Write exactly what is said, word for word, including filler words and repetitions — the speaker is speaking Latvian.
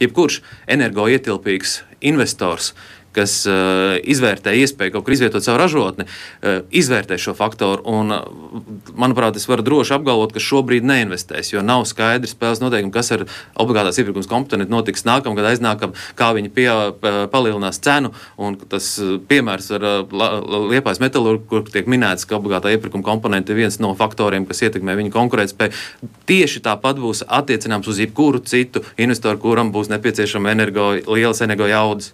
jebkurš energoietilpīgs investors, kas uh, izvērtē iespēju kaut kur izvietot savu ražotni, uh, izvērtē šo faktoru. Un, uh, manuprāt, es varu droši apgalvot, ka šobrīd neinvestēs, jo nav skaidri spēles noteikumi, kas ar obligātās iepirkums komponentu notiks nākamgad, aiznākam, kā viņi pie, palielinās cenu. Un tas piemērs ar uh, Liepājas metalurgu, kur tiek minēts, ka obligātā iepirkuma komponenta ir viens no faktoriem, kas ietekmē viņu konkurētspēju. Tieši tāpat būs attiecināms uz jebkuru citu investoru, kuram būs nepieciešama energo, lielas energo jaudas.